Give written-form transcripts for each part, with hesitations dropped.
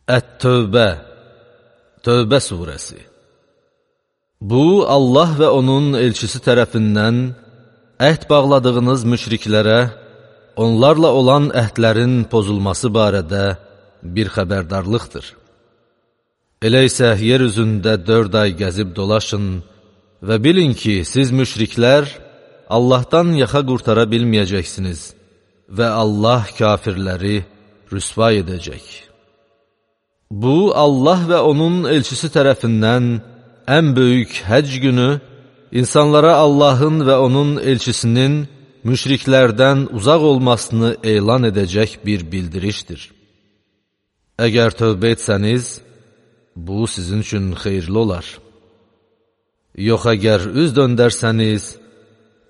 Ət-Tövbə, Tövbə surəsi. Bu, Allah və onun elçisi tərəfindən əhd bağladığınız müşriklərə, onlarla olan əhdlərin pozulması barədə bir xəbərdarlıqdır. Elə isə yer üzündə 4 ay gəzib dolaşın və bilin ki, siz müşriklər Allahdan yaxa qurtara bilməyəcəksiniz və Allah kafirləri rüsva edəcək. Bu, Allah və onun elçisi tərəfindən ən böyük həcc günü, insanlara Allahın və onun elçisinin müşriklərdən uzaq olmasını elan edəcək bir bildirişdir. Əgər tövbə etsəniz, bu sizin üçün xeyirli olar. Yox, əgər üz döndərsəniz,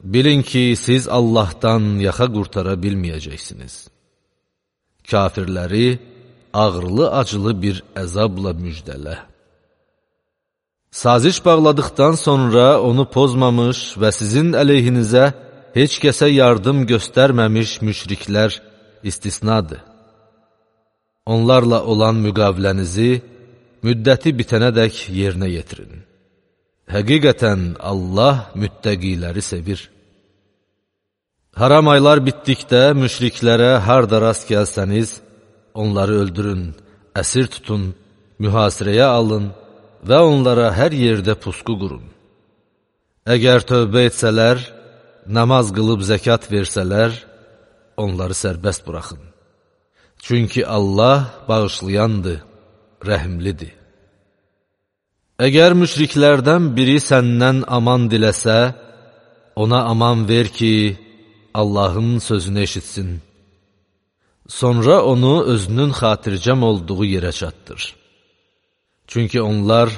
bilin ki, siz Allahdan yaxa qurtara bilməyəcəksiniz. Kafirləri ağrılı-acılı bir əzabla müjdələ. Saziş bağladıqdan sonra onu pozmamış və sizin əleyhinizə heç kəsə yardım göstərməmiş müşriklər istisnadır. Onlarla olan müqavilənizi müddəti bitənədək yerinə yetirin. Həqiqətən Allah müttəqiləri sevir. Haram aylar bitdikdə müşriklərə harda rast gəlsəniz, onları öldürün, əsir tutun, mühasirəyə alın və onlara hər yerdə pusqu qurun. Əgər tövbə etsələr, namaz qılıb zəkat versələr, onları sərbəst buraxın. Çünki Allah bağışlayandır, rəhimlidir. Əgər müşriklərdən biri səndən aman diləsə, ona aman ver ki, Allahın sözünü eşitsin. Sonra onu özünün xatircəm olduğu yerə çatdır. Çünki onlar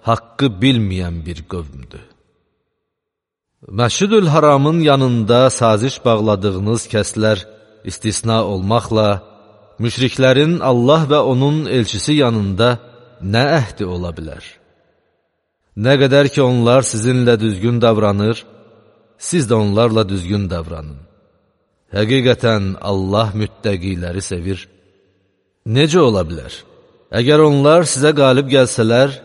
haqqı bilməyən bir qövmdür. Məscid-ül Haramın yanında saziş bağladığınız kəslər istisna olmaqla, müşriklərin Allah və onun elçisi yanında nə əhdi ola bilər? Nə qədər ki, onlar sizinlə düzgün davranır, siz də onlarla düzgün davranın. Həqiqətən Allah müttəqiləri sevir. Necə ola bilər? Əgər onlar sizə qalib gəlsələr,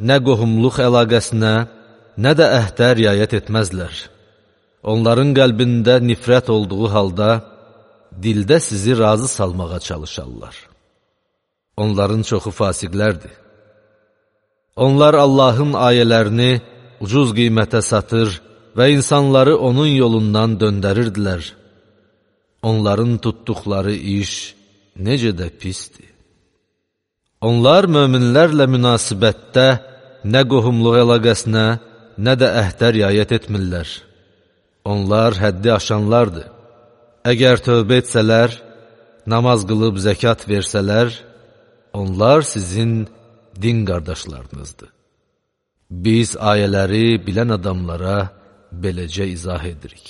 nə qohumluq əlaqəsinə, nə də əhdə riayət etməzlər. Onların qəlbində nifrət olduğu halda, dildə sizi razı salmağa çalışarlar. Onların çoxu fasiqlərdir. Onlar Allahın ayələrini ucuz qiymətə satır və insanları onun yolundan döndərirdilər. Onların tutduqları iş necə də pisdir. Onlar möminlərlə münasibətdə nə qohumluq əlaqəsinə, nə də əhdə riayət etmirlər. Onlar həddi aşanlardır. Əgər tövbə etsələr, namaz qılıb zəkat versələr, onlar sizin din qardaşlarınızdır. Biz ayələri bilən adamlara beləcə izah edirik.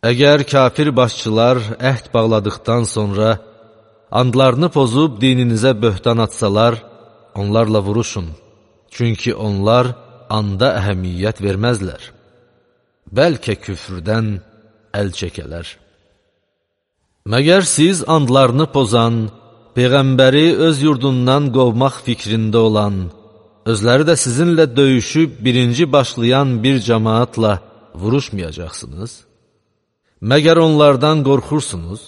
Əgər kafir başçılar əhd bağladıqdan sonra andlarını pozub dininizə böhtan atsalar, onlarla vuruşun. Çünki onlar anda əhəmiyyət verməzlər. Bəlkə küfrdən əl çəkələr. Məgər siz andlarını pozan, Peyğəmbəri öz yurdundan qovmaq fikrində olan, özləri də sizinlə döyüşüb birinci başlayan bir cəmaatla vuruşmayacaqsınız? Məgər onlardan qorxursunuz?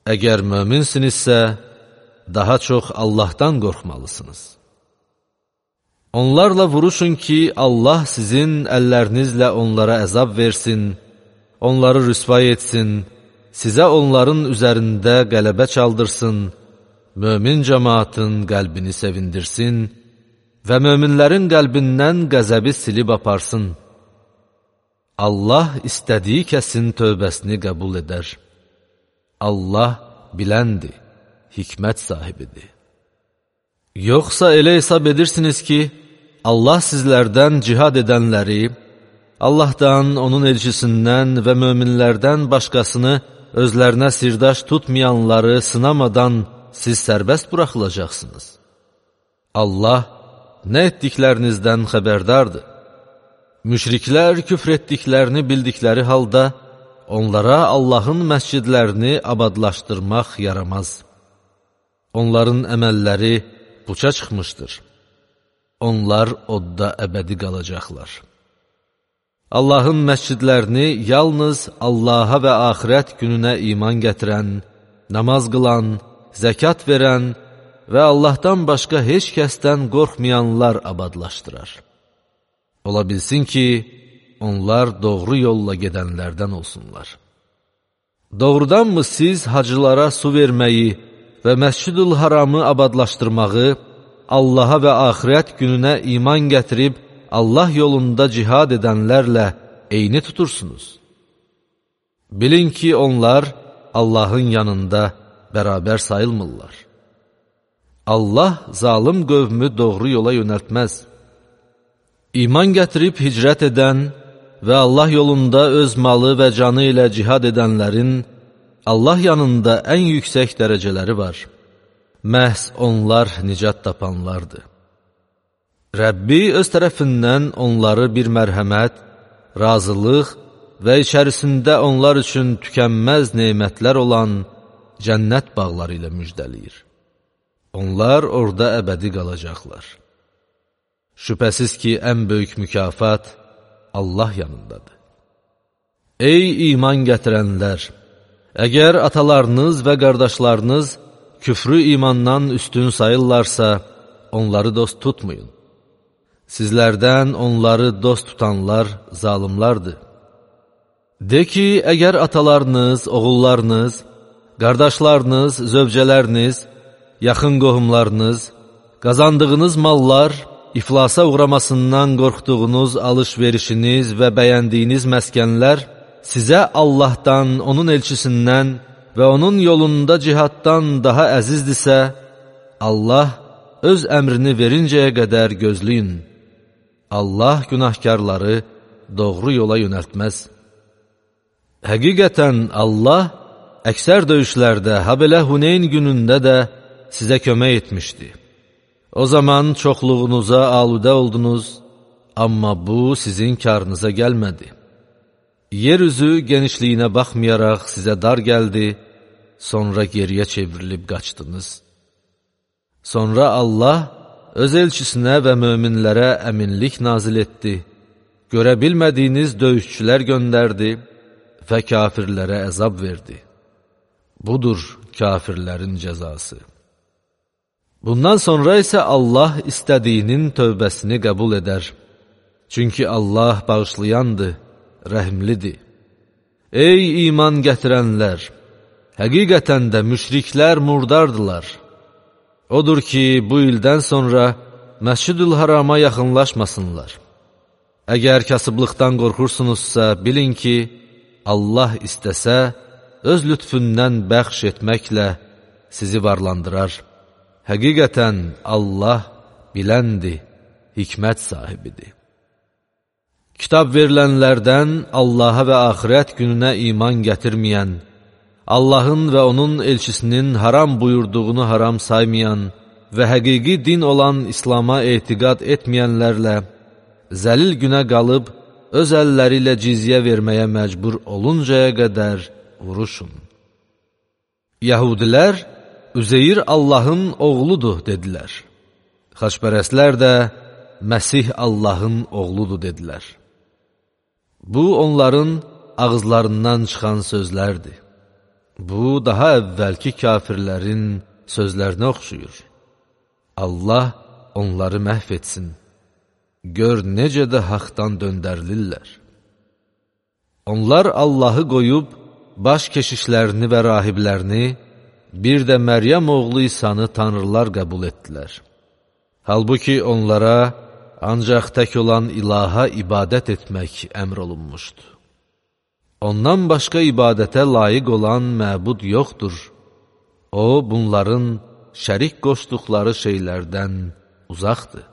Əgər möminsinizsə, daha çox Allahdan qorxmalısınız. Onlarla vuruşun ki, Allah sizin əllərinizlə onlara əzab versin, onları rüsva etsin, sizə onların üzərində qələbə çaldırsın, mömin cəmaatın qəlbini sevindirsin və möminlərin qəlbindən qəzəbi silib aparsın. Allah istədiyi kəsin tövbəsini qəbul edər. Allah biləndir, hikmət sahibidir. Yoxsa elə hesab edirsiniz ki, Allah sizlərdən cihad edənləri, Allahdan, onun elçisindən və möminlərdən başqasını özlərinə sirdaş tutmayanları sınamadan siz sərbəst buraxılacaqsınız. Allah nə etdiklərinizdən xəbərdardır. Müşriklər küfr etdiklərini bildikləri halda, onlara Allahın məscidlərini abadlaşdırmaq yaramaz. onların əməlləri puça çıxmışdır. Onlar odda əbədi qalacaqlar. Allahın məscidlərini yalnız Allaha və axirət gününə iman gətirən, namaz qılan, zəkat verən və Allahdan başqa heç kəsdən qorxmayanlar abadlaşdırar. Ola bilsin ki, onlar doğru yolla gedənlərdən olsunlar. Doğrudanmı siz hacılara su verməyi və Məscid-ül Haramı abadlaşdırmağı, Allaha və axirət gününə iman gətirib, Allah yolunda cihad edənlərlə eyni tutursunuz? Bilin ki, onlar Allahın yanında bərabər sayılmırlar. Allah zalım qövmü doğru yola yönəltməz. İman gətirib hicrət edən və Allah yolunda öz malı və canı ilə cihad edənlərin Allah yanında ən yüksək dərəcələri var. Məhz onlar nicat tapanlardır. Rəbbi öz tərəfindən onları bir mərhəmət, razılıq və içərisində onlar üçün tükənməz nemətlər olan cənnət bağları ilə müjdəliyir. Onlar orada əbədi qalacaqlar. Şübhəsiz ki, ən böyük mükafat Allah yanındadır. Ey iman gətirənlər! Əgər atalarınız və qardaşlarınız küfrü imandan üstün sayırlarsa, onları dost tutmayın. Sizlərdən onları dost tutanlar zalimlardır. De ki, əgər atalarınız, oğullarınız, qardaşlarınız, zövcələriniz, yaxın qohumlarınız, qazandığınız mallar, iflasa uğramasından qorxduğunuz alış-verişiniz və bəyəndiyiniz məskənlər sizə Allahdan, onun elçisindən və onun yolunda cihaddan daha əzizdirsə, Allah öz əmrini verincəyə qədər gözləyin. Allah günahkarları doğru yola yönəltməz. Həqiqətən Allah əksər döyüşlərdə, habelə Huneyn günündə də sizə kömək etmişdi. O zaman çoxluğunuza aludə oldunuz, amma bu sizin karınıza gəlmədi. Yeryüzü genişliyinə baxmayaraq sizə dar gəldi, sonra geriyə çevrilib qaçdınız. Sonra Allah öz elçisinə və möminlərə əminlik nazil etdi, görə bilmədiyiniz döyüşçülər göndərdi və kafirlərə əzab verdi. Budur kafirlərin cəzası. Bundan sonra isə Allah istədiyinin tövbəsini qəbul edər. Çünki Allah bağışlayandır, rəhimlidir. Ey iman gətirənlər! Həqiqətən də müşriklər murdardılar. Odur ki, bu ildən sonra Məscid-ül Harama yaxınlaşmasınlar. Əgər kasıblıqdan qorxursunuzsa, bilin ki, Allah istəsə, öz lütfündən bəxş etməklə sizi varlandırar. Həqiqətən Allah biləndir, hikmət sahibidir. Kitab verilənlərdən Allaha və axirət gününə iman gətirməyən, Allahın və onun elçisinin haram buyurduğunu haram saymayan və həqiqi din olan İslama etiqad etməyənlərlə zəlil günə qalıb, öz əlləri ilə cizyə verməyə məcbur oluncaya qədər vuruşun. Yəhudilər Üzeyir Allahın oğludur dedilər. Xaçpərəstlər də Məsih Allahın oğludur dedilər. Bu onların ağızlarından çıxan sözlərdir. Bu daha əvvəlki kafirlərin sözlərinə oxşuyur. Allah onları məhv etsin. Gör necə də haqdan döndərilirlər. Onlar Allahı qoyub, baş keşişlərini və rahiblərini, bir də Məryəm oğlu İsanı tanrılar qəbul etdilər. Halbuki onlara ancaq tək olan ilaha ibadət etmək əmr olunmuşdur. Ondan başqa ibadətə layiq olan məbud yoxdur. O, bunların şərik qoşduqları şeylərdən uzaqdır.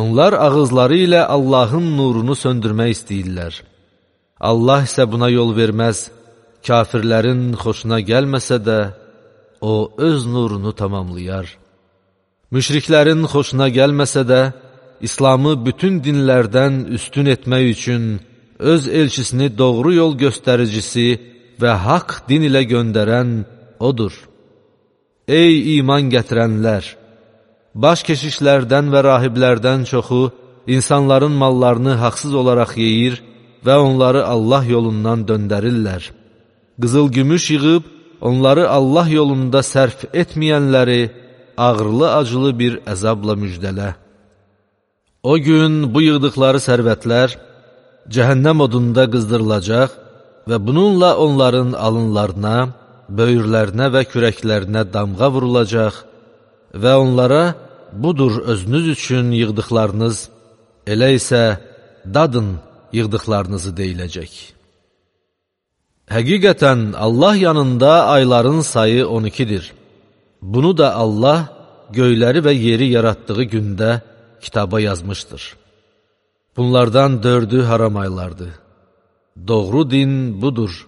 Onlar ağızları ilə Allahın nurunu söndürmək istəyirlər. Allah isə buna yol verməz. Kafirlərin xoşuna gəlməsə də, o öz nurunu tamamlayar. Müşriklərin xoşuna gəlməsə də, İslamı bütün dinlərdən üstün etmək üçün öz elçisini doğru yol göstəricisi və haqq din ilə göndərən odur. Ey iman gətirənlər! Baş keşişlərdən və rahiblərdən çoxu insanların mallarını haqsız olaraq yeyir və onları Allah yolundan döndərirlər. Qızıl-gümüş yığıb, onları Allah yolunda sərf etməyənləri ağırlı-acılı bir əzabla müjdələ. O gün bu yığdıqları sərvətlər cəhənnəm odunda qızdırılacaq və bununla onların alınlarına, böyürlərinə və kürəklərinə damğa vurulacaq və onlara budur özünüz üçün yığdıqlarınız, elə isə dadın yığdıqlarınızı deyiləcək. Həqiqətən Allah yanında ayların sayı 12-dir. Bunu da Allah göyləri və yeri yaratdığı gündə kitaba yazmışdır. Bunlardan 4'ü haram aylardır. Doğru din budur.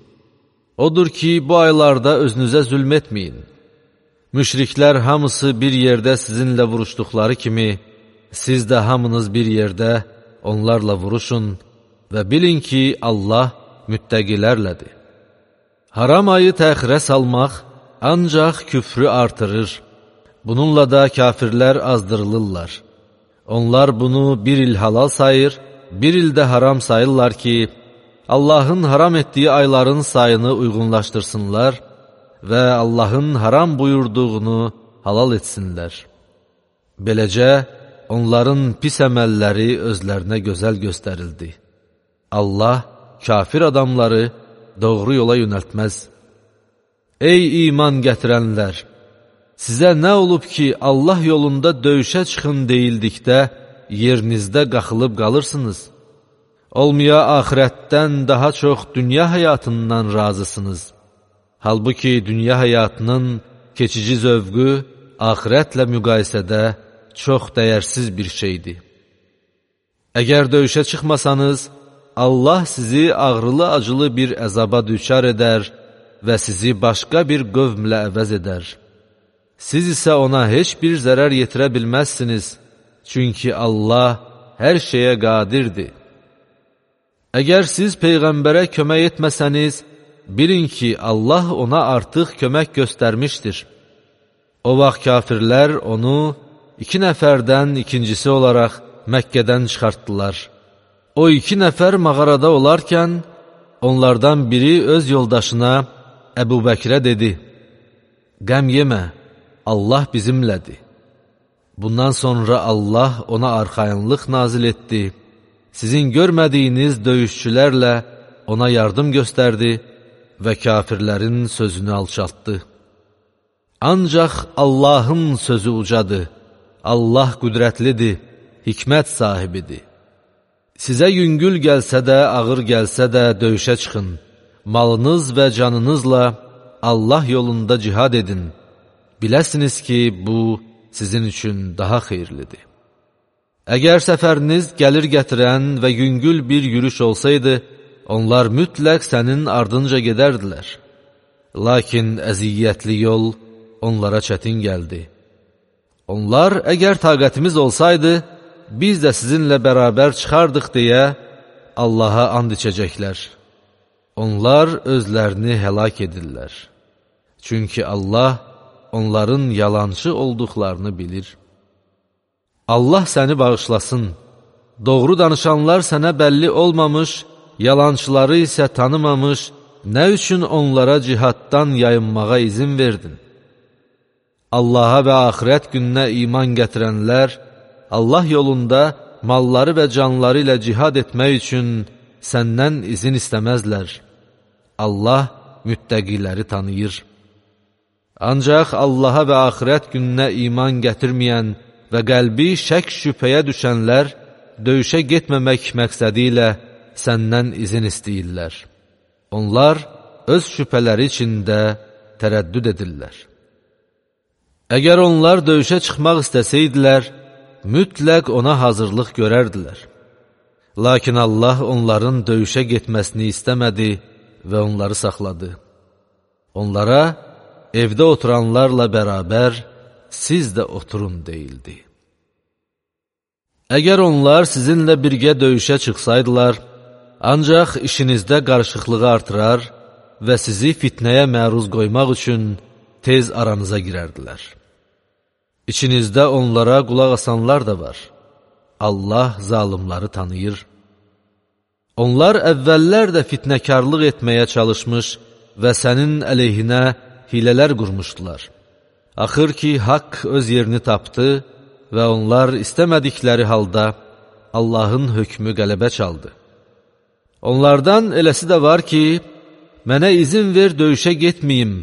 Odur ki, bu aylarda özünüzə zülm etməyin. Müşriklər hamısı bir yerdə sizinlə vuruşduqları kimi, siz də hamınız bir yerdə onlarla vuruşun və bilin ki, Allah müttəqilərlədir. Haram ayı təxirə salmaq ancaq küfrü artırır. Bununla da kafirlər azdırılırlar. Onlar bunu bir il halal sayır, bir ildə haram sayırlar ki, Allahın haram etdiyi ayların sayını uyğunlaşdırsınlar və Allahın haram buyurduğunu halal etsinlər. Beləcə, onların pis əməlləri özlərinə gözəl göstərildi. Allah kafir adamları doğru yola yönəltməz. Ey iman gətirənlər! Sizə nə olub ki, Allah yolunda döyüşə çıxın deyildikdə, yerinizdə qaxılıb qalırsınız? Olmaya axirətdən daha çox dünya həyatından razısınız. Halbuki dünya həyatının keçici zövqü axirətlə müqayisədə çox dəyərsiz bir şeydir. Əgər döyüşə çıxmasanız, Allah sizi ağrılı-acılı bir əzaba düçar edər və sizi başqa bir qövmlə əvəz edər. Siz isə ona heç bir zərər yetirə bilməzsiniz, çünki Allah hər şeyə qadirdir. Əgər siz Peyğəmbərə kömək etməsəniz, bilin ki, Allah ona artıq kömək göstərmişdir. O vaxt kafirlər onu 2 nəfərdən ikincisi olaraq Məkkədən çıxartdılar. O 2 nəfər mağarada olarkən, onlardan biri öz yoldaşına Əbu Bəkrə dedi, qəm yemə, Allah bizimlədir. Bundan sonra Allah ona arxayınlıq nazil etdi. Sizin görmədiyiniz döyüşçülərlə ona yardım göstərdi və kafirlərin sözünü alçaltdı. Ancaq Allahın sözü ucadır. Allah qüdrətlidir, hikmət sahibidir. Sizə yüngül gəlsə də, ağır gəlsə də döyüşə çıxın. Malınız və canınızla Allah yolunda cihad edin. Biləsiniz ki, bu sizin üçün daha xeyirlidir. Əgər səfəriniz gəlir gətirən və yüngül bir yürüş olsaydı, onlar mütləq sənin ardınca gedərdilər. Lakin əziyyətli yol onlara çətin gəldi. Onlar, əgər taqətimiz olsaydı, biz də sizinlə bərabər çıxardıq deyə Allaha and içəcəklər. Onlar özlərini həlak edirlər. Çünki Allah onların yalançı olduqlarını bilir. Allah səni bağışlasın. Doğru danışanlar sənə bəlli olmamış, yalançıları isə tanımamış, nə üçün onlara cihaddan yayınmağa izin verdin? Allaha və axirət gününə iman gətirənlər, Allah yolunda malları və canları ilə cihad etmək üçün səndən izin istəməzlər. Allah müttəqiləri tanıyır. Ancaq Allaha və axirət gününə iman gətirməyən və qəlbi şək-şübhəyə düşənlər döyüşə getməmək məqsədi ilə səndən izin istəyirlər. Onlar öz şübhələri içində tərəddüd edirlər. Əgər onlar döyüşə çıxmaq istəsəydilər, mütləq ona hazırlıq görərdilər. Lakin Allah onların döyüşə getməsini istəmədi və onları saxladı. Onlara evdə oturanlarla bərabər siz də oturun deyildi. Əgər onlar sizinlə birgə döyüşə çıxsaydılar, ancaq işinizdə qarışıqlığı artırar və sizi fitnəyə məruz qoymaq üçün tez aranıza girərdilər. İçinizdə onlara qulaq asanlar da var. Allah zalımları tanıyır. Onlar əvvəllər də fitnəkarlıq etməyə çalışmış və sənin əleyhinə hilələr qurmuşdular. Axır ki, haqq öz yerini tapdı və onlar istəmədikləri halda Allahın hökmü qələbə çaldı. Onlardan eləsi də var ki, mənə izin ver döyüşə getməyim,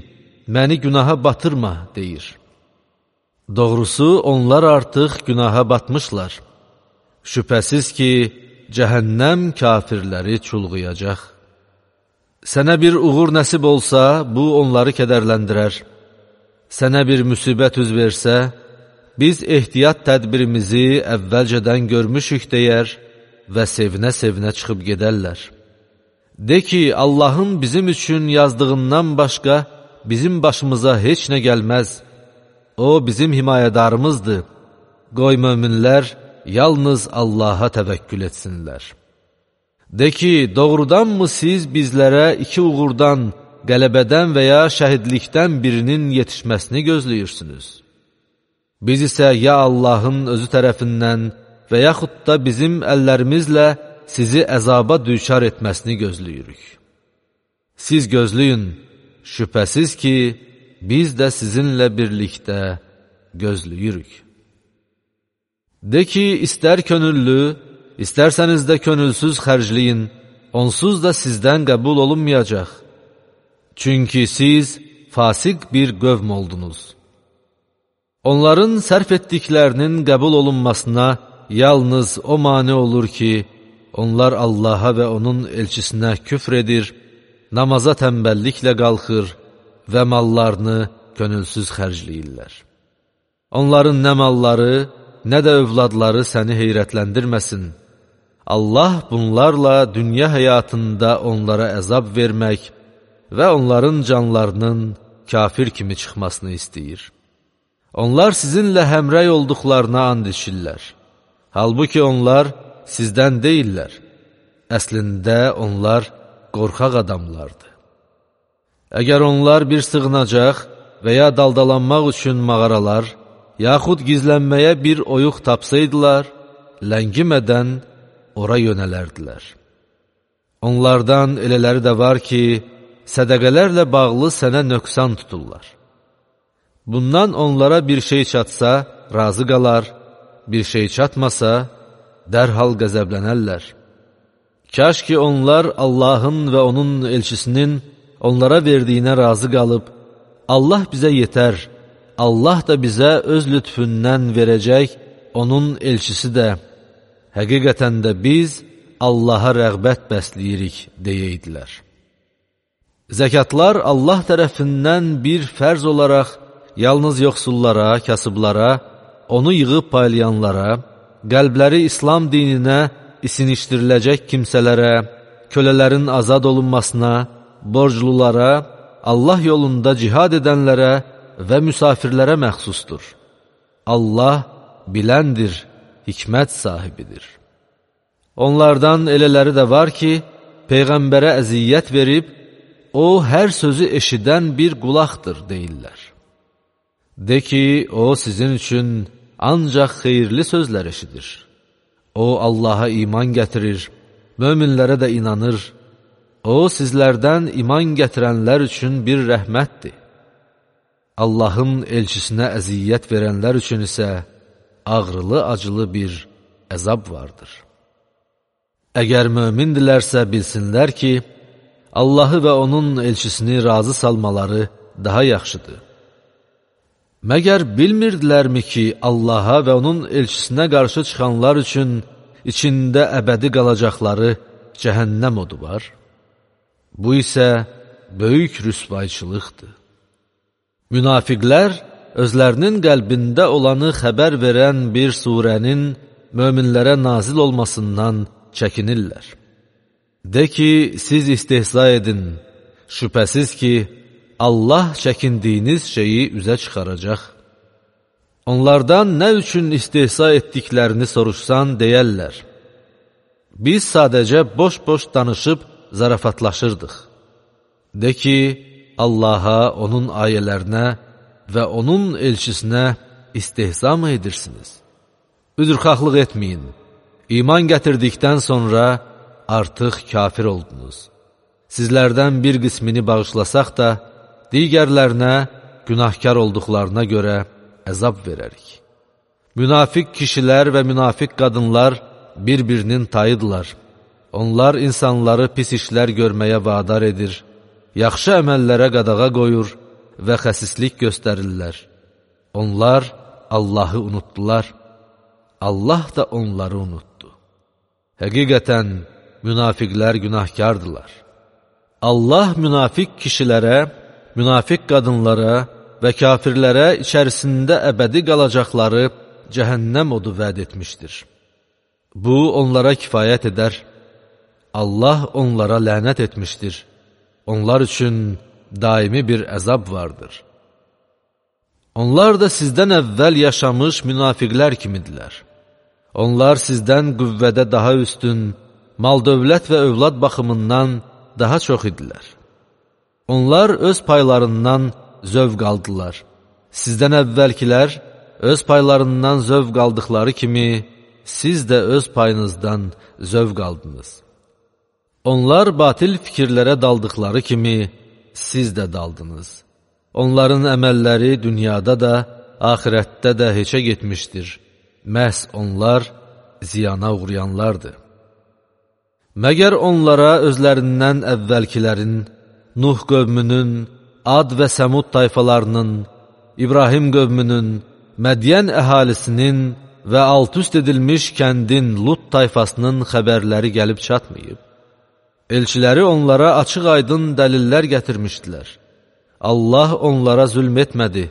məni günaha batırma, deyir. Doğrusu, onlar artıq günaha batmışlar. Şübhəsiz ki, cəhənnəm kafirləri çulğuyacaq. Sənə bir uğur nəsib olsa, bu onları kədərləndirər. Sənə bir müsibət üz versə, biz ehtiyat tədbirimizi əvvəlcədən görmüşük deyər və sevinə-sevinə çıxıb gedərlər. De ki, Allahın bizim üçün yazdığından başqa bizim başımıza heç nə gəlməz. O, bizim himayədarımızdır. Qoy möminlər yalnız Allaha təvəkkül etsinlər. De ki, doğrudanmı siz bizlərə iki uğurdan, qələbədən və ya şəhidlikdən birinin yetişməsini gözləyirsiniz? Biz isə ya Allahın özü tərəfindən və yaxud da bizim əllərimizlə sizi əzaba düçar etməsini gözləyirik. Siz gözləyin, şübhəsiz ki, biz də sizinlə birlikdə gözləyirik. De ki, istər könüllü, İstərsəniz də könülsüz xərcləyin, onsuz da sizdən qəbul olunmayacaq. Çünki siz fasiq bir qövm oldunuz. Onların sərf etdiklərinin qəbul olunmasına yalnız o mane olur ki, onlar Allaha və onun elçisinə küfr edir, namaza tənbəlliklə qalxır və mallarını könülsüz xərcləyirlər. Onların nə malları, nə də övladları səni heyrətləndirməsin. Allah bunlarla dünya həyatında onlara əzab vermək və onların canlarının kafir kimi çıxmasını istəyir. Onlar sizinlə həmrəy olduqlarına and içirlər. Halbuki onlar sizdən deyirlər. Əslində onlar qorxaq adamlardır. Əgər onlar bir sığınacaq və ya daldalanmaq üçün mağaralar, yaxud gizlənməyə bir oyuq tapsaydılar, ləngimədən ora yönələrdilər. Onlardan elələri də var ki, sədəqələrlə bağlı sənə nöqsan tuturlar. Bundan onlara bir şey çatsa, razı qalar, bir şey çatmasa, dərhal qəzəblənərlər. Kaş ki, onlar Allahın və onun elçisinin onlara verdiyinə razı qalıb, Allah bizə yetər, Allah da bizə öz lütfündən verəcək, onun elçisi də, həqiqətən də biz Allaha rəğbət bəsləyirik, deyeydilər. Zəkatlar Allah tərəfindən bir fərz olaraq yalnız yoxsullara, kasıblara, onu yığıb paylayanlara, qəlbləri İslam dininə isinişdiriləcək kimsələrə, kölələrin azad olunmasına, borclulara, Allah yolunda cihad edənlərə və müsafirlərə məxsusdur. Allah biləndir, hikmət sahibidir. Onlardan elələri də var ki, Peyğəmbərə əziyyət verib, o hər sözü eşidən bir qulaqdır, deyirlər. De ki, o sizin üçün ancaq xeyirli sözlər eşidir. O Allaha iman gətirir, möminlərə də inanır. O sizlərdən iman gətirənlər üçün bir rəhmətdir. Allahın elçisinə əziyyət verənlər üçün isə ağrılı-acılı bir əzab vardır. Əgər mömindilərsə bilsinlər ki, Allahı və onun elçisini razı salmaları daha yaxşıdır. Məgər bilmirdilərmi ki, Allaha və onun elçisinə qarşı çıxanlar üçün içində əbədi qalacaqları cəhənnəm odu var? Bu isə böyük rüsvayçılıqdır. Münafiqlər özlərinin qəlbində olanı xəbər verən bir surənin möminlərə nazil olmasından çəkinirlər. De ki, siz istehza edin, şübhəsiz ki, Allah çəkindiyiniz şeyi üzə çıxaracaq. Onlardan nə üçün istehza etdiklərini soruşsan deyərlər. Biz sadəcə boş-boş danışıb zarafatlaşırdıq. De ki, Allaha, onun ayələrinə və onun elçisinə istehza mı edirsiniz? Üzrxahlıq etməyin. İman gətirdikdən sonra artıq kafir oldunuz. Sizlərdən bir qismini bağışlasaq da, digərlərinə günahkar olduqlarına görə əzab verərik. Münafiq kişilər və münafiq qadınlar bir-birinin tayıdırlar. Onlar insanları pis işlər görməyə vadar edir, yaxşı əməllərə qadağa qoyur və xəsislik göstərirlər. Onlar Allahı unutdular, Allah da onları unutdu. Həqiqətən, münafiqlər günahkardırlar. Allah münafiq kişilərə, münafiq qadınlara və kafirlərə içərisində əbədi qalacaqları cəhənnəm odu vəd etmişdir. Bu, onlara kifayət edər. Allah onlara lənət etmişdir. Onlar üçün daimi bir əzab vardır. Onlar da sizdən əvvəl yaşamış münafiqlər kimidirlər. Onlar sizdən qüvvədə daha üstün, mal-dövlət və övlad baxımından daha çox idilər. Onlar öz paylarından zövq aldılar. Sizdən əvvəlkilər öz paylarından zövq aldıqları kimi, siz də öz payınızdan zövq aldınız. Onlar batil fikirlərə daldıqları kimi, siz də daldınız. Onların əməlləri dünyada da, axirətdə də heçə getmişdir. Məhz onlar ziyana uğrayanlardır. Məgər onlara özlərindən əvvəlkilərin, Nuh qövmünün, Ad və Səmud tayfalarının, İbrahim qövmünün, Mədiyən əhalisinin və alt-üst edilmiş kəndin Lut tayfasının xəbərləri gəlib çatmayıb. Elçiləri onlara açıq-aydın dəlillər gətirmişdilər. Allah onlara zülm etmədi,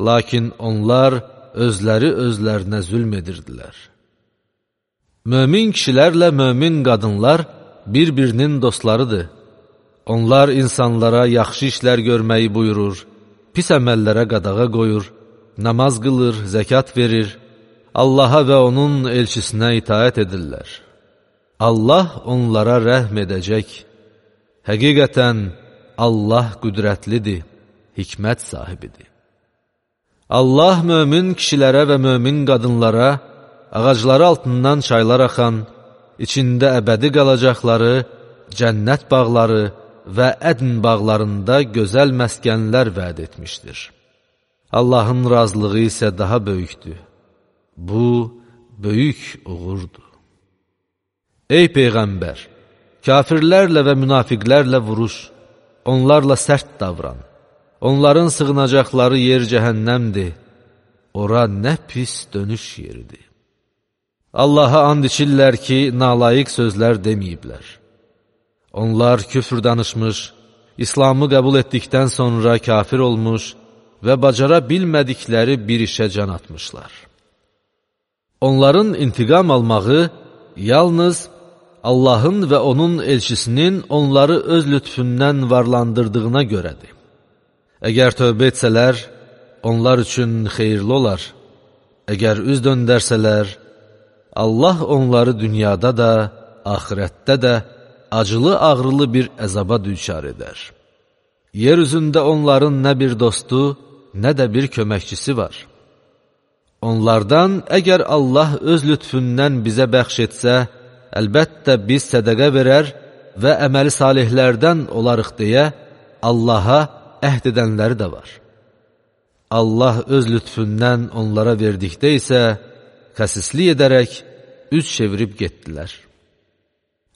lakin onlar özləri özlərinə zülm edirdilər. Mömin kişilərlə mömin qadınlar bir-birinin dostlarıdır. Onlar insanlara yaxşı işlər görməyi buyurur, pis əməllərə qadağa qoyur, namaz qılır, zəkat verir, Allaha və onun elçisinə itaət edirlər. Allah onlara rəhm edəcək. Həqiqətən Allah qüdrətlidir, hikmət sahibidir. Allah mömin kişilərə və mömin qadınlara ağacları altından çaylar axan, içində əbədi qalacaqları, cənnət bağları və ədn bağlarında gözəl məskənlər vəd etmişdir. Allahın razılığı isə daha böyükdür. Bu, böyük uğurdur. Ey Peyğəmbər! Kafirlərlə və münafiqlərlə vuruş, onlarla sərt davran. Onların sığınacaqları yer cəhənnəmdir. Ora nə pis dönüş yeridir. Allaha and içirlər ki, nalayiq sözlər deməyiblər. Onlar küfr danışmış, İslamı qəbul etdikdən sonra kafir olmuş və bacara bilmədikləri bir işə can atmışlar. Onların intiqam almağı yalnız Allahın və onun elçisinin onları öz lütfündən varlandırdığına görədir. Əgər tövbə etsələr, onlar üçün xeyirli olar. Əgər üz döndərsələr, Allah onları dünyada da, axirətdə də acılı-ağrılı bir əzaba düçar edər. Yer üzündə onların nə bir dostu, nə də bir köməkçisi var. Onlardan əgər Allah öz lütfündən bizə bəxş etsə, əlbəttə biz sədəqə verər və əməli salihlərdən olarıq deyə Allaha əhd edənləri də var. Allah öz lütfündən onlara verdikdə isə xəsislik edərək üz çevirib getdilər.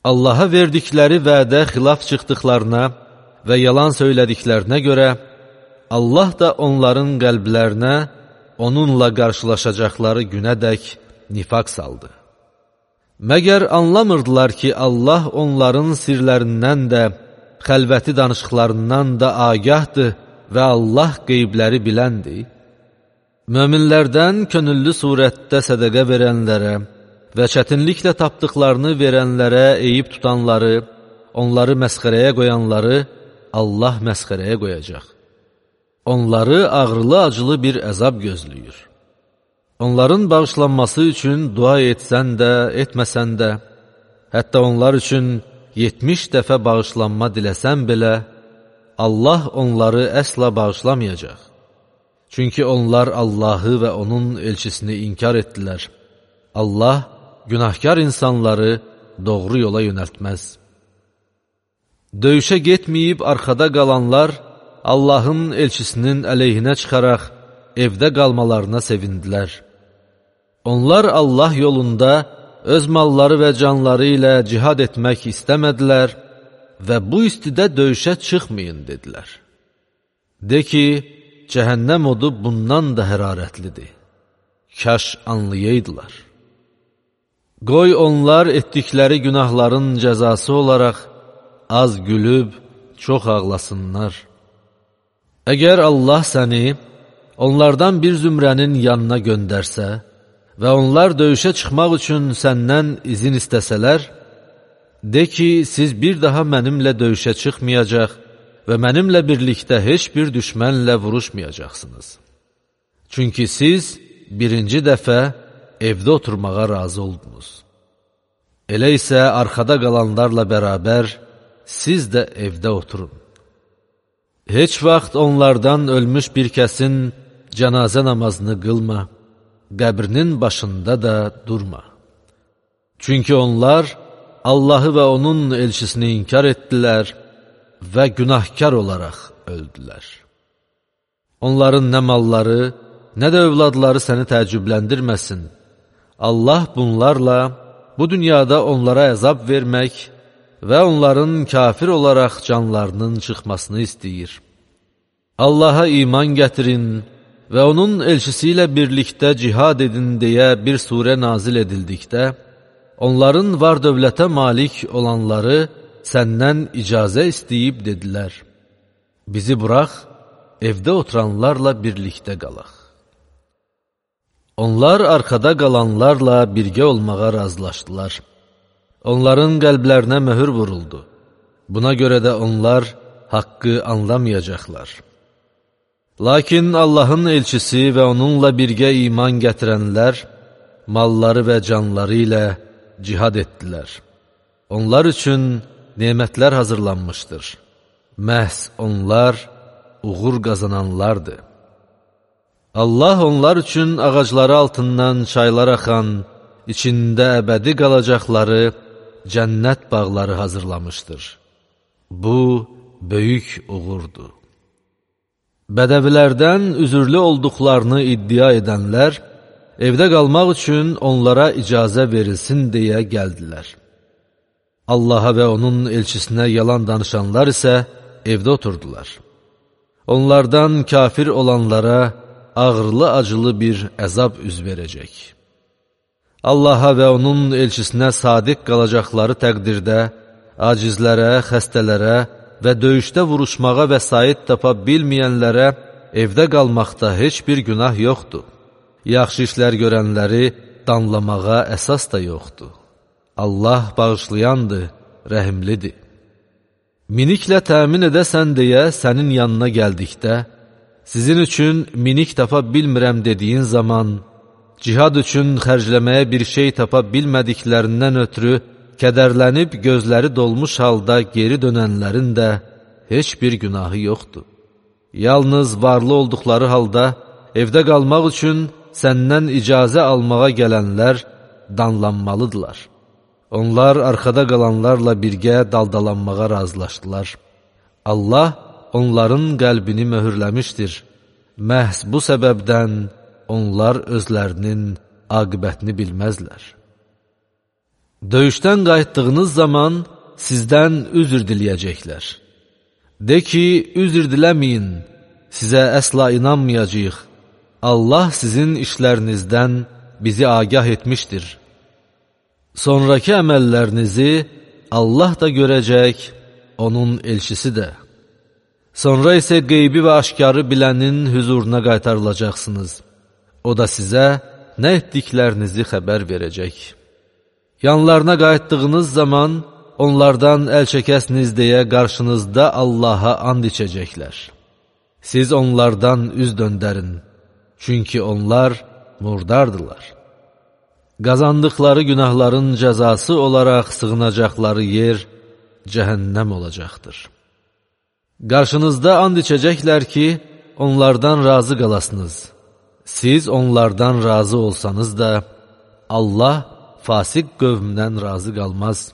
Allaha verdikləri vədə xilaf çıxdıqlarına və yalan söylədiklərinə görə Allah da onların qəlblərinə onunla qarşılaşacaqları günədək nifaq saldı. Məgər anlamırdılar ki, Allah onların sirlərindən də, xəlvəti danışıqlarından da agahdır və Allah qeybləri biləndir. Möminlərdən könüllü surətdə sədəqə verənlərə və çətinliklə tapdıqlarını verənlərə eyib tutanları, onları məsxərəyə qoyanları Allah məsxərəyə qoyacaq. Onları ağrılı-acılı bir əzab gözləyir. Onların bağışlanması üçün dua etsən də, etməsən də, hətta onlar üçün 70 dəfə bağışlanma diləsən belə, Allah onları əsla bağışlamayacaq. Çünki onlar Allahı və onun elçisini inkar etdilər. Allah günahkar insanları doğru yola yönəltməz. Döyüşə getməyib arxada qalanlar Allahın elçisinin əleyhinə çıxaraq evdə qalmalarına sevindilər. Onlar Allah yolunda öz malları və canları ilə cihad etmək istəmədilər və bu istidə döyüşə çıxmayın dedilər. De ki, cəhənnəm odu bundan da hərarətlidir. Kaş anlayaydılar. Qoy onlar etdikləri günahların cəzası olaraq az gülüb, çox ağlasınlar. Əgər Allah səni onlardan bir zümrənin yanına göndərsə və onlar döyüşə çıxmaq üçün səndən izin istəsələr, de ki, siz bir daha mənimlə döyüşə çıxmayacaq və mənimlə birlikdə heç bir düşmənlə vuruşmayacaqsınız. Çünki siz birinci dəfə evdə oturmağa razı oldunuz. Elə isə arxada qalanlarla bərabər siz də evdə oturun. Heç vaxt onlardan ölmüş bir kəsin cənazə namazını qılma, qəbrinin başında da durma. Çünki onlar Allahı və onun elçisini inkar etdilər və günahkar olaraq öldülər. Onların nə malları, nə də övladları səni təəccübləndirməsin. Allah bunlarla bu dünyada onlara əzab vermək və onların kafir olaraq canlarının çıxmasını istəyir. Allaha iman gətirin və onun elçisi ilə birlikdə cihad edin deyə bir surə nazil edildikdə, onların var dövlətə malik olanları səndən icazə istəyib dedilər, bizi burax, evdə oturanlarla birlikdə qalaq. Onlar arxada qalanlarla birgə olmağa razılaşdılar. Onların qəlblərinə möhür vuruldu. Buna görə də onlar haqqı anlamayacaqlar. Lakin Allahın elçisi və onunla birgə iman gətirənlər, malları və canları ilə cihad etdilər. Onlar üçün nemətlər hazırlanmışdır. Məhz onlar uğur qazananlardır. Allah onlar üçün ağacları altından çaylar axan, içində əbədi qalacaqları cənnət bağları hazırlamışdır. Bu, böyük uğurdur. Bədəvilərdən üzürlü olduqlarını iddia edənlər, evdə qalmaq üçün onlara icazə verilsin deyə gəldilər. Allaha və onun elçisinə yalan danışanlar isə evdə oturdular. Onlardan kafir olanlara ağırlı-acılı bir əzab üz verəcək. Allaha və onun elçisinə sadiq qalacaqları təqdirdə, acizlərə, xəstələrə və döyüşdə vuruşmağa vəsait tapa bilməyənlərə evdə qalmaqda heç bir günah yoxdur. Yaxşı işlər görənləri danlamağa əsas da yoxdur. Allah bağışlayandır, rəhimlidir. Miniklə təmin edəsən deyə sənin yanına gəldikdə, sizin üçün minik tapa bilmirəm dediyin zaman, cihad üçün xərcləməyə bir şey tapa bilmədiklərindən ötürü kədərlənib gözləri dolmuş halda geri dönənlərin də heç bir günahı yoxdur. Yalnız varlı olduqları halda evdə qalmaq üçün səndən icazə almağa gələnlər danlanmalıdırlar. Onlar arxada qalanlarla birgə daldalanmağa razılaşdılar. Allah onların qəlbini möhürləmişdir. Məhz bu səbəbdən onlar özlərinin aqibətini bilməzlər. Döyüşdən qayıtdığınız zaman sizdən üzr diləyəcəklər. De ki, üzr diləməyin, sizə əsla inanmayacağıq. Allah sizin işlərinizdən bizi agah etmişdir. Sonraki əməllərinizi Allah da görəcək, onun elçisi də. Sonra isə qeybi və aşkarı bilənin hüzuruna qaytarılacaqsınız. O da sizə nə etdiklərinizi xəbər verəcək. Yanlarına qayıtdığınız zaman onlardan əl çəkəsiniz deyə qarşınızda Allaha and içəcəklər. Siz onlardan üz döndərin, çünki onlar murdardılar. Qazandıqları günahların cəzası olaraq sığınacaqları yer cəhənnəm olacaqdır. Qarşınızda and içəcəklər ki, onlardan razı qalasınız. Siz onlardan razı olsanız da, Allah fasik qövmdən razı qalmaz.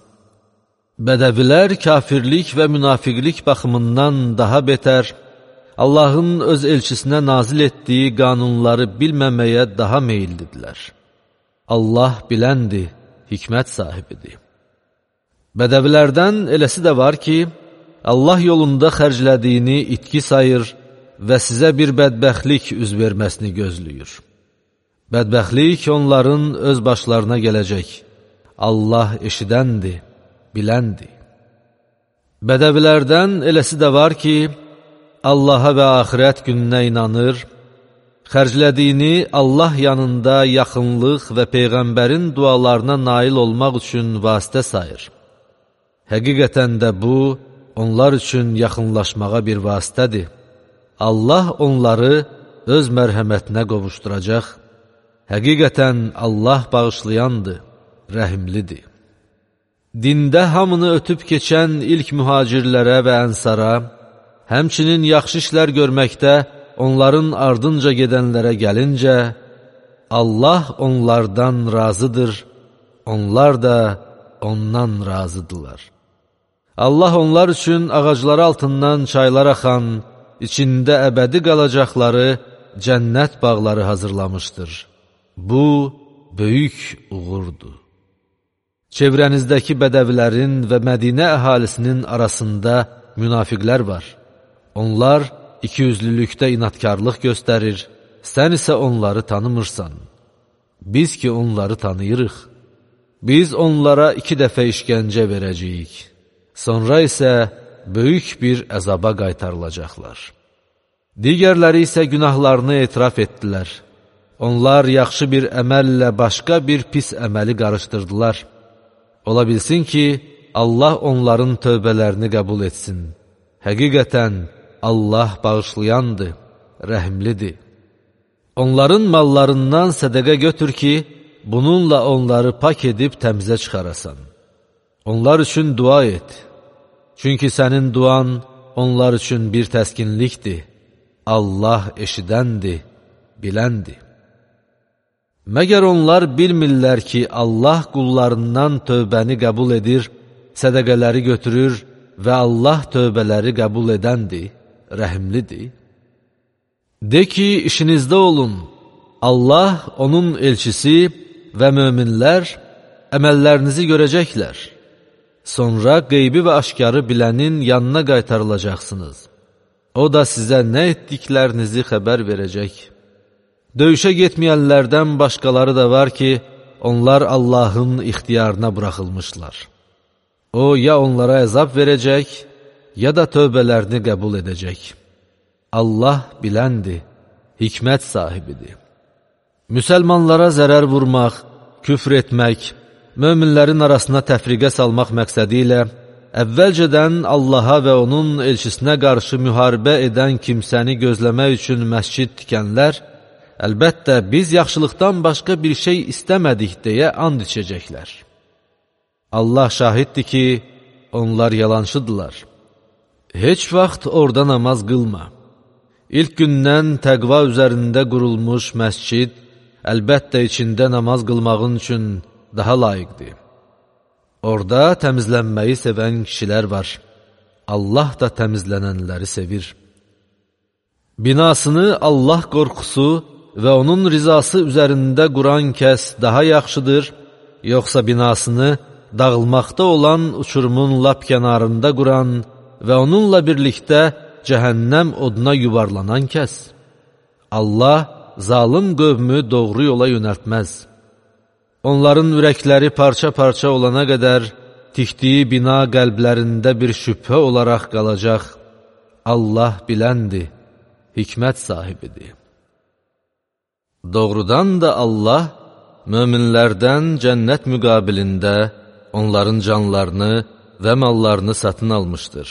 Bədəvilər kafirlik və münafiqlik baxımından daha betər, Allahın öz elçisinə nazil etdiyi qanunları bilməməyə daha meyillidirlər. Allah biləndir, hikmət sahibidir. Bədəvilərdən eləsi də var ki, Allah yolunda xərclədiyini itki sayır və sizə bir bədbəxtlik üz verməsini gözləyir. Bədbəxtlik onların öz başlarına gələcək. Allah eşidəndir, biləndir. Bədəvilərdən eləsi də var ki, Allaha və axirət gününə inanır, xərclədiyini Allah yanında yaxınlıq və Peyğəmbərin dualarına nail olmaq üçün vasitə sayır. Həqiqətən də bu, onlar üçün yaxınlaşmağa bir vasitədir. Allah onları öz mərhəmətinə qovuşduracaq. Həqiqətən Allah bağışlayandır, rəhimlidir. Dində hamını ötüb keçən ilk mühacirlərə və ənsara, həmçinin yaxşı işlər görməkdə onların ardınca gedənlərə gəlincə, Allah onlardan razıdır, onlar da ondan razıdırlar. Allah onlar üçün ağacları altından çaylar axan, içində əbədi qalacaqları cənnət bağları hazırlamışdır. Bu, böyük uğurdur. Çevrənizdəki bədəvilərin və Mədinə əhalisinin arasında münafiqlər var. Onlar ikiyüzlülükdə inatkarlıq göstərir, sən isə onları tanımırsan. Biz ki onları tanıyırıq. Biz onlara 2 dəfə işgəncə verəcəyik. Sonra isə böyük bir əzaba qaytarılacaqlar. Digərləri isə günahlarını etiraf etdilər. Onlar yaxşı bir əməllə başqa bir pis əməli qarışdırdılar. Ola bilsin ki, Allah onların tövbələrini qəbul etsin. Həqiqətən, Allah bağışlayandır, rəhimlidir. Onların mallarından sədəqə götür ki, bununla onları pak edib təmizə çıxarasan. Onlar üçün dua et. Çünki sənin duan onlar üçün bir təskinlikdir. Allah eşidəndir, biləndir. Məgər onlar bilmirlər ki, Allah qullarından tövbəni qəbul edir, sədəqələri götürür və Allah tövbələri qəbul edəndir, rəhimlidir. De ki, işinizdə olun, Allah, onun elçisi və möminlər əməllərinizi görəcəklər. Sonra qeybi və aşkarı bilənin yanına qaytarılacaqsınız. O da sizə nə etdiklərinizi xəbər verəcək. Döyüşə getməyənlərdən başqaları da var ki, onlar Allahın ixtiyarına buraxılmışlar. O, ya onlara əzab verəcək, ya da tövbələrini qəbul edəcək. Allah biləndir, hikmət sahibidir. Müsəlmanlara zərər vurmaq, küfr etmək, möminlərin arasına təfriqə salmaq məqsədi ilə əvvəlcədən Allaha və onun elçisinə qarşı müharibə edən kimsəni gözləmək üçün məscid tikənlər, əlbəttə biz yaxşılıqdan başqa bir şey istəmədik deyə and içəcəklər. Allah şahiddir ki, onlar yalançıdırlar. Heç vaxt orada namaz qılma. İlk gündən təqva üzərində qurulmuş məscid, əlbəttə içində namaz qılmağın üçün daha layiqdir. Orada təmizlənməyi sevən kişilər var. Allah da təmizlənənləri sevir. Binasını Allah qorxusu və onun rizası üzərində quran kəs daha yaxşıdır, yoxsa binasını dağılmaqda olan uçurumun lap kənarında quran və onunla birlikdə cəhənnəm oduna yuvarlanan kəs? Allah zalım qövmü doğru yola yönəltməz. Onların ürəkləri parça-parça olana qədər tikdiyi bina qəlblərində bir şübhə olaraq qalacaq. Allah biləndir, hikmət sahibidir. Doğrudan da Allah möminlərdən cənnət müqabilində onların canlarını və mallarını satın almışdır.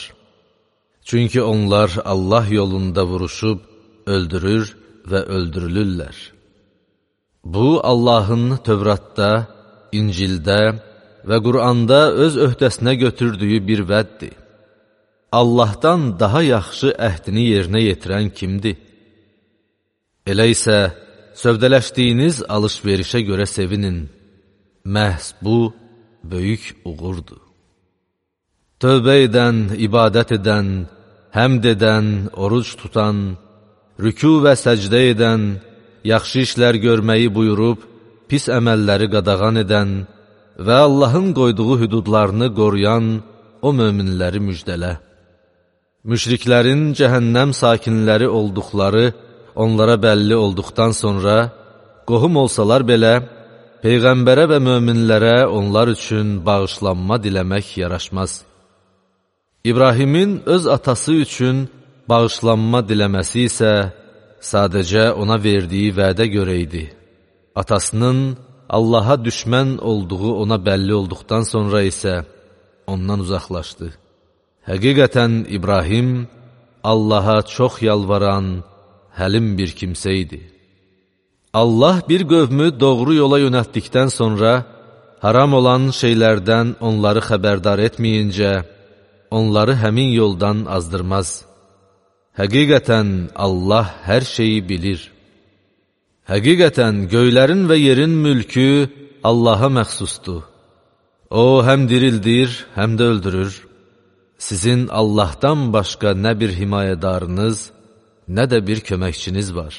Çünki onlar Allah yolunda vuruşub, öldürür və öldürülürlər. Bu, Allahın Tövratda, İncildə və Quranda öz öhdəsinə götürdüyü bir vəddir. Allahdan daha yaxşı əhdini yerinə yetirən kimdir? Elə isə sövdələşdiyiniz alış-verişə görə sevinin. Məhz bu, böyük uğurdur. Tövbə edən, ibadət edən, həmd edən, oruc tutan, rükû və səcdə edən, yaxşı işlər görməyi buyurub, pis əməlləri qadağan edən və Allahın qoyduğu hüdudlarını qoruyan o möminləri müjdələ. Müşriklərin cəhənnəm sakinləri olduqları onlara bəlli olduqdan sonra, qohum olsalar belə, Peyğəmbərə və möminlərə onlar üçün bağışlanma diləmək yaraşmaz. İbrahimin öz atası üçün bağışlanma diləməsi isə sadəcə ona verdiyi vədə görə idi. Atasının Allaha düşmən olduğu ona bəlli olduqdan sonra isə ondan uzaqlaşdı. Həqiqətən İbrahim Allaha çox yalvaran, həlim bir kimsə idi. Allah bir qövmü doğru yola yönəltdikdən sonra, haram olan şeylərdən onları xəbərdar etməyincə, onları həmin yoldan azdırmaz. Həqiqətən Allah hər şeyi bilir. Həqiqətən göylərin və yerin mülkü Allaha məxsusdur. O həm dirildir, həm də öldürür. Sizin Allahdan başqa nə bir himayədarınız, nə də bir köməkçiniz var.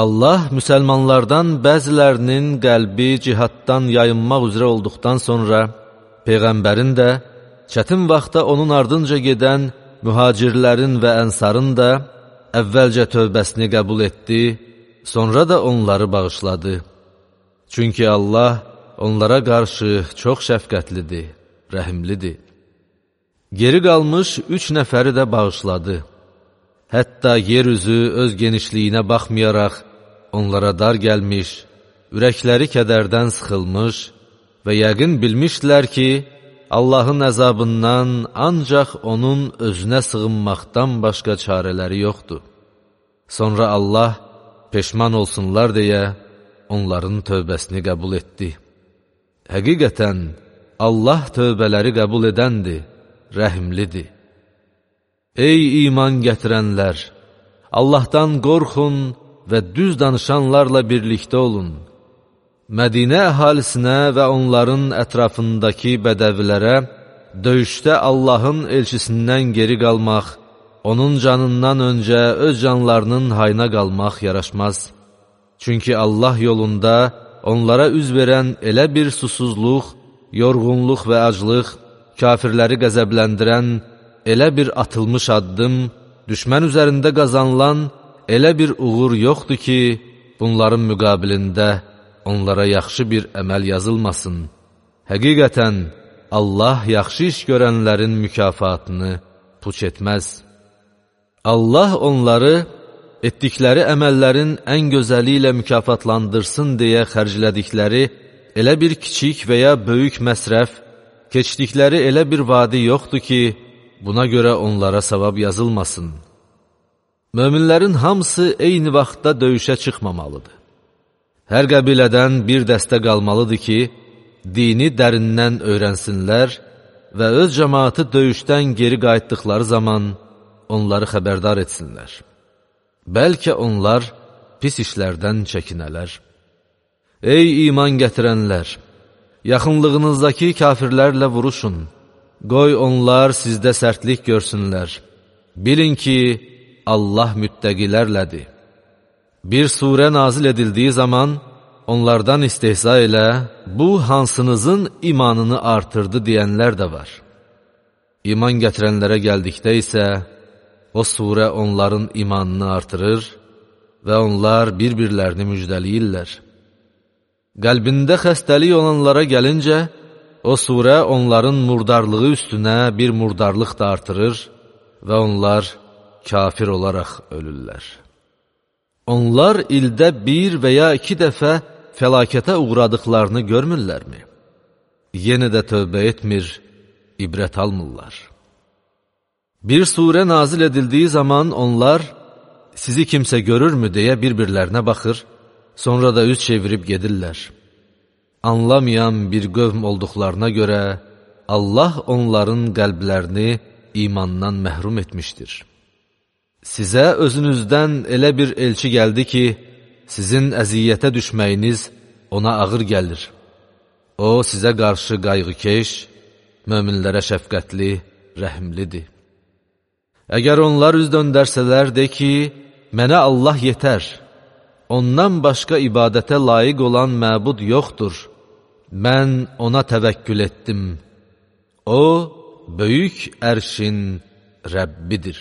Allah müsəlmanlardan bəzilərinin qəlbi cihaddan yayınmaq üzrə olduqdan sonra, Peyğəmbərin də, çətin vaxtda onun ardınca gedən mühacirlərin və ənsarın da əvvəlcə tövbəsini qəbul etdi, sonra da onları bağışladı. Çünki Allah onlara qarşı çox şəfqətlidir, rəhimlidir. Geri qalmış 3 nəfəri də bağışladı. Hətta yeryüzü öz genişliyinə baxmayaraq onlara dar gəlmiş, ürəkləri kədərdən sıxılmış və yəqin bilmişdilər ki, Allahın əzabından ancaq onun özünə sığınmaqdan başqa çarələri yoxdur. Sonra Allah peşman olsunlar deyə onların tövbəsini qəbul etdi. Həqiqətən Allah tövbələri qəbul edəndir, rəhimlidir. Ey iman gətirənlər! Allahdan qorxun və düz danışanlarla birlikdə olun. Mədinə əhalisinə və onların ətrafındakı bədəvilərə döyüşdə Allahın elçisindən geri qalmaq, onun canından öncə öz canlarının hayına qalmaq yaraşmaz. Çünki Allah yolunda onlara üz verən elə bir susuzluq, yorğunluq və aclıq, kafirləri qəzəbləndirən elə bir atılmış addım, düşmən üzərində qazanılan elə bir uğur yoxdur ki, bunların müqabilində onlara yaxşı bir əməl yazılmasın. Həqiqətən, Allah yaxşı iş görənlərin mükafatını puç etməz. Allah onları etdikləri əməllərin ən gözəli ilə mükafatlandırsın deyə xərclədikləri elə bir kiçik və ya böyük məsrəf, keçdikləri elə bir vadi yoxdur ki, buna görə onlara savab yazılmasın. Möminlərin hamısı eyni vaxtda döyüşə çıxmamalıdır. Hər qəbilədən bir dəstə qalmalıdır ki, dini dərindən öyrənsinlər və öz cəmaatı döyüşdən geri qayıtdıqları zaman onları xəbərdar etsinlər. Bəlkə onlar pis işlərdən çəkinələr. Ey iman gətirənlər! Yaxınlığınızdakı kafirlərlə vuruşun. Qoy onlar sizdə sərtlik görsünlər. Bilin ki, Allah müttəqilərlədir. Bir surə nazil edildiyi zaman onlardan istehza ilə, bu hansınızın imanını artırdı deyənlər də var. İman gətirənlərə gəldikdə isə, o surə onların imanını artırır və onlar bir-birlərini müjdəliyirlər. Qəlbində xəstəlik olanlara gəlincə, o surə onların murdarlığı üstünə bir murdarlıq da artırır və onlar kafir olaraq ölürlər. Onlar ildə 1 və ya 2 dəfə fəlakətə uğradıqlarını görmürlərmi? Yenə də tövbə etmir, ibrət almırlar. Bir surə nazil edildiyi zaman onlar, sizi kimsə görürmü deyə bir-birlərinə baxır, sonra da üz çevirib gedirlər. Anlamayan bir qövm olduqlarına görə Allah onların qəlblərini imandan məhrum etmişdir. Sizə özünüzdən elə bir elçi gəldi ki, sizin əziyyətə düşməyiniz ona ağır gəlir. O, sizə qarşı qayğıkeş, möminlərə şəfqətli, rəhimlidir. Əgər onlar üz döndərsələr, de ki, mənə Allah yetər. Ondan başqa ibadətə layiq olan məbud yoxdur. Mən ona təvəkkül etdim. O, böyük ərşin Rəbbidir.